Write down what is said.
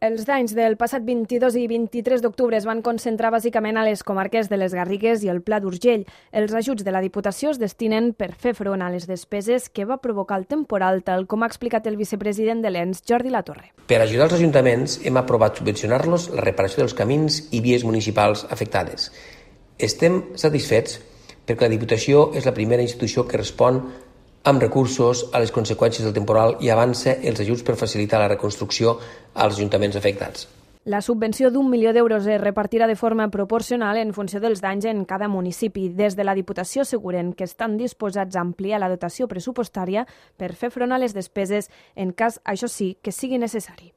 Els danys del passat 22 i 23 d'octubre es van concentrar bàsicament a les comarques de les Garrigues i el Pla d'Urgell. Els ajuts de la Diputació es destinen per fer front a les despeses que va provocar el temporal, tal com ha explicat el vicepresident de l'ENS, Jordi Latorre. Per ajudar els ajuntaments hem aprovat subvencionar-los la reparació dels camins i vies municipals afectades. Estem satisfets perquè la Diputació és la primera institució que respon amb recursos a les conseqüències del temporal i avança els ajuts per facilitar la reconstrucció als ajuntaments afectats. La subvenció d'1 milió d'euros es repartirà de forma proporcional en funció dels danys en cada municipi. Des de la Diputació asseguren que estan disposats a ampliar la dotació pressupostària per fer front a les despeses en cas, això sí, que sigui necessari.